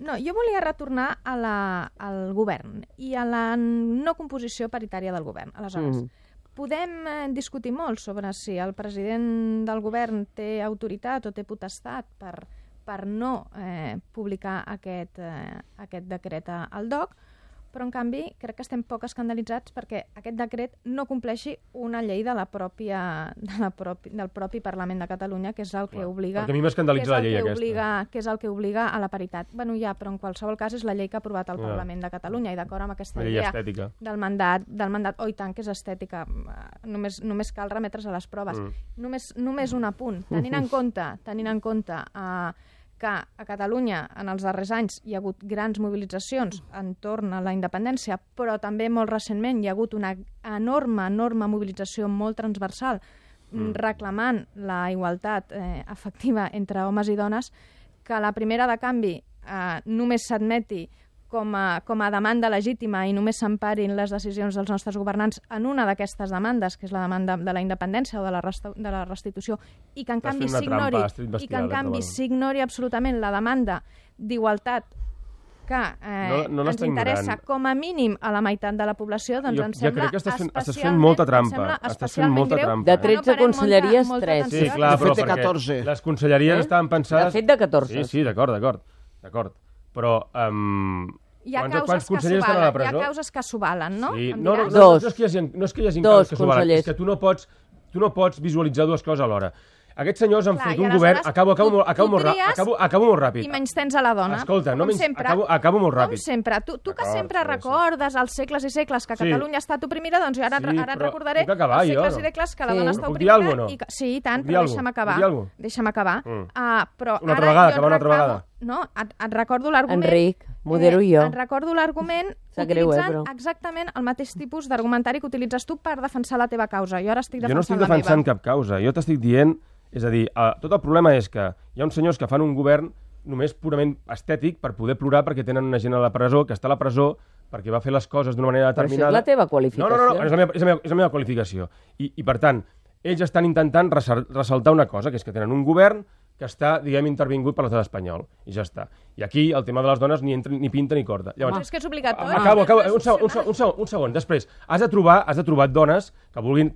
No, jo volia retornar al govern i a la no composició paritària del govern. Aleshores, podem discutir molt sobre si el president del govern té autoritat o té potestat per no publicar aquest decret al DOC, però en canvi crec que estem poc escandalitzats perquè aquest decret no compleixi una llei del propi Parlament de Catalunya, que és el que obliga... Perquè a mi m'escandalitza la llei aquesta. Que és el que obliga a la paritat. Bueno, ja, però en qualsevol cas és la llei que ha aprovat el Parlament de Catalunya i d'acord amb aquesta idea del mandat, oh, i tant que és estètica, només cal remetre's a les proves. Només un apunt. Tenint en compte que a Catalunya en els darrers anys hi ha hagut grans mobilitzacions entorn a la independència, però també molt recentment hi ha hagut una enorme mobilització molt transversal reclamant la igualtat efectiva entre homes i dones, que la primera de canvi només s'admeti com a demanda legítima i només s'emparin les decisions dels nostres governants en una d'aquestes demandes, que és la demanda de la independència o de la restitució, i que en canvi s'ignori absolutament la demanda d'igualtat que ens interessa com a mínim a la meitat de la població, doncs em sembla especialment greu. De 13 conselleries, 3. Sí, clar, però perquè les conselleries estaven pensades... De fet, de 14. Sí, d'acord. Però... Hi ha causes que s'ho valen, no? Sí. No és que hi hagi causes que s'ho valen, és que tu no pots visualitzar dues coses alhora. Aquests senyors han fet un govern... Acabo molt ràpid. I menys tens a la dona. Escolta, acabo molt ràpid. Com sempre. Tu que sempre recordes els segles i segles que Catalunya ha estat oprimida, doncs jo ara et recordaré els segles i segles que la dona està oprimida. Sí, i tant, però deixa'm acabar. Però una altra vegada. No, et recordo l'argument... Enric, modero jo. Et recordo l'argument utilitzant exactament el mateix tipus d'argumentari que utilitzes tu per defensar la teva causa. Jo ara estic defensant la meva. Jo no estic defensant cap causa. Jo t'estic dient... És a dir, tot el problema és que hi ha uns senyors que fan un govern només purament estètic per poder plorar perquè tenen una gent a la presó, que està a la presó perquè va fer les coses d'una manera determinada. Però això és la teva qualificació. No, és la meva qualificació. I per tant, ells estan intentant ressaltar una cosa, que és que tenen un govern que està, diguem, intervingut per l'estat espanyol. I ja està. I aquí el tema de les dones ni entra ni pinta ni corda. Llavors, és que és obligatori. Acabo. Un segon. Després, has de trobar dones que vulguin,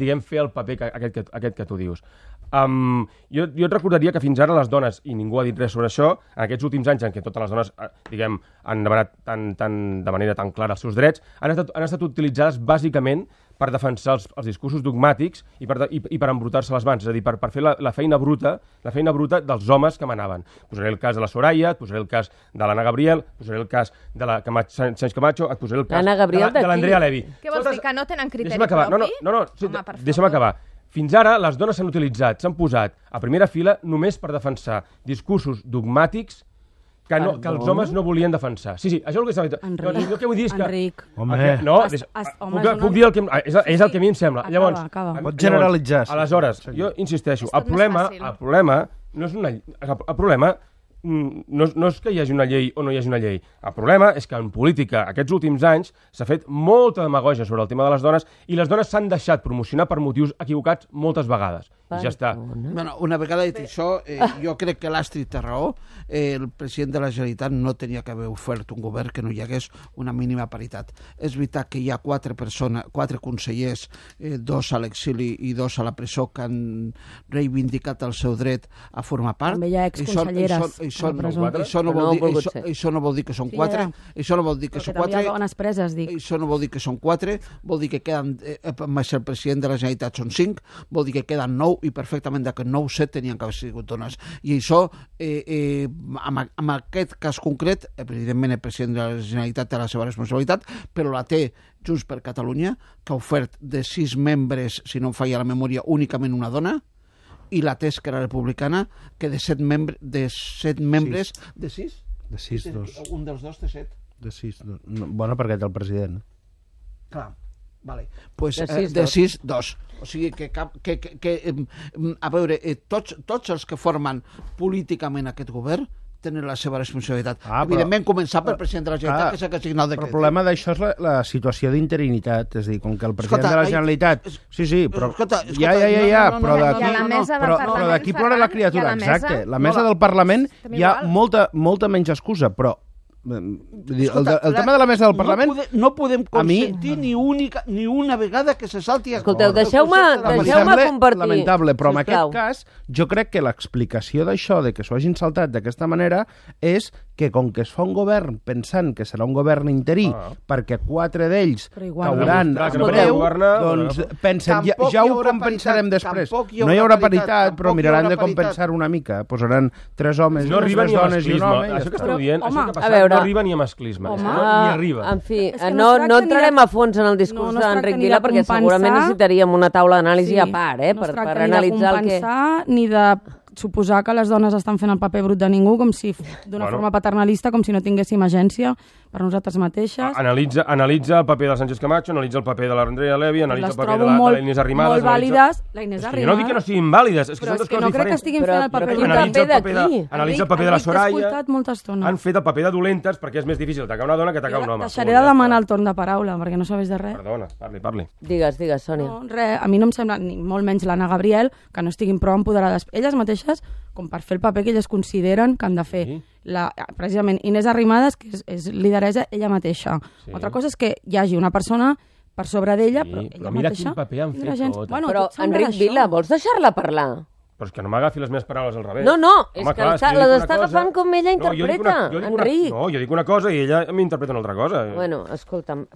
diguem, fer el paper aquest que tu dius. Jo et recordaria que fins ara les dones, i ningú ha dit res sobre això, en aquests últims anys en què totes les dones, diguem, han demanat de manera tan clara els seus drets, han estat utilitzades bàsicament per defensar els discursos dogmàtics i per embrutar-se les mans, és a dir, per fer la feina bruta dels homes que manaven. Posaré el cas de la Soraya, et posaré el cas de l'Anna Gabriel, posaré el cas de la Sánchez Camacho, et posaré el cas de l'Andrea Levy. Què vols dir, que no tenen criteri propi? No, deixa'm acabar. Fins ara les dones s'han posat a primera fila només per defensar discursos dogmàtics que els homes no volien defensar. Sí, això és el que s'ha fet. Jo què vull dir és que... Enric. Puc dir el que... És el que a mi em sembla. Llavors, pots generalitzar. Aleshores, jo insisteixo, el problema no és una... El problema no és que hi hagi una llei o no hi hagi una llei. El problema és que en política aquests últims anys s'ha fet molta demagògia sobre el tema de les dones i les dones s'han deixat promocionar per motius equivocats moltes vegades. I ja està. Bueno, una vegada dit això, jo crec que l'Astrid té raó. El president de la Generalitat no tenia que haver ofert un govern que no hi hagués una mínima paritat. És veritat que hi ha 4 consellers, 2 a l'exili i 2 a la presó, que han reivindicat el seu dret a formar part. També hi ha exconselleres. Això no vol dir que són 4. Això no vol dir que són 4. També hi ha bones preses, dic. Això no vol dir que són 4. Vol dir que queden, més el president de la Generalitat són 5. Vol dir que queden 9 i perfectament d'aquest 9, 7 tenien que haver sigut dones. I això, en aquest cas concret, evidentment el president de la Generalitat té la seva responsabilitat, però la té Junts per Catalunya, que ha ofert de 6 membres, si no em falla la memòria, únicament una dona, i la té Esquerra Republicana, que de 7 membres... De 6? De 6, 2. Un dels 2 té 7. De 6, 2. Bona perquè té el president. Clar. Vale. Pues, de 6, 2. O sigui que a veure, tots els que formen políticament aquest govern tenen la seva responsabilitat. Evidentment, començar pel president de la Generalitat, que és el que ha signat el decret. Però el problema d'això és la situació d'interinitat, és a dir, com que el president de la Generalitat... Sí, però... Però d'aquí plora la criatura, exacte. La mesa del Parlament hi ha molta menys excusa, però el tema de la mesa del Parlament no podem consentir ni una vegada que se salti. Escolteu, deixeu-me compartir. Lamentable, però en aquest cas jo crec que l'explicació d'això, de que s'ho hagin saltat d'aquesta manera, és que com que es fa un govern pensant que serà un govern interí, perquè 4 d'ells cauran en breu, doncs pensen, ja ho compensarem després. No hi haurà paritat, però miraran de compensar una mica. Posaran 3 homes, 3 dones i un home. Això que esteu dient, això que ha passat, no arriba ni a masclisme. Ni arriba. En fi, no entrarem a fons en el discurs d'Enric Vila, perquè segurament necessitaríem una taula d'anàlisi a part, per analitzar el que... Ni de suposar que les dones estan fent el paper brut de ningú, com si d'una forma paternalista, com si no tinguéssim agència per nosaltres mateixes. Analitza el paper de Sánchez Camacho, analitza el paper de l'Andrea Levy, analitza el paper de la Inés Arrimadas. Molt vàlides. La Inés Arrimadas... Jo no dic que no siguin vàlides, és que són dues coses diferents. Però és que no crec que estiguin fent el paper brut. Analitza el paper de la Soraya. Han fet el paper de dolentes perquè és més difícil atacar una dona que atacar un home. Deixaré de demanar el torn de paraula, perquè no sabés de res. Perdona, parli. Digues, Sònia. No, res, a mi no em sembla, ni molt menys l'Anna Gabriel, que no estiguin prou empoderades elles mateixes com per fer el paper que elles consideren que han de fer. Precisament Inés Arrimadas, que és lideresa ella mateixa. Altra cosa és que hi hagi una persona per sobre d'ella, però ella mira mateixa... quin paper han fet tot. Però, Enric Vila, vols deixar-la parlar? Però és que no m'agafi les meves paraules al revés. No, és que les està agafant com ella interpreta, Enric. No, jo dic una cosa i ella m'interpreta una altra cosa. Bueno, escolta'm,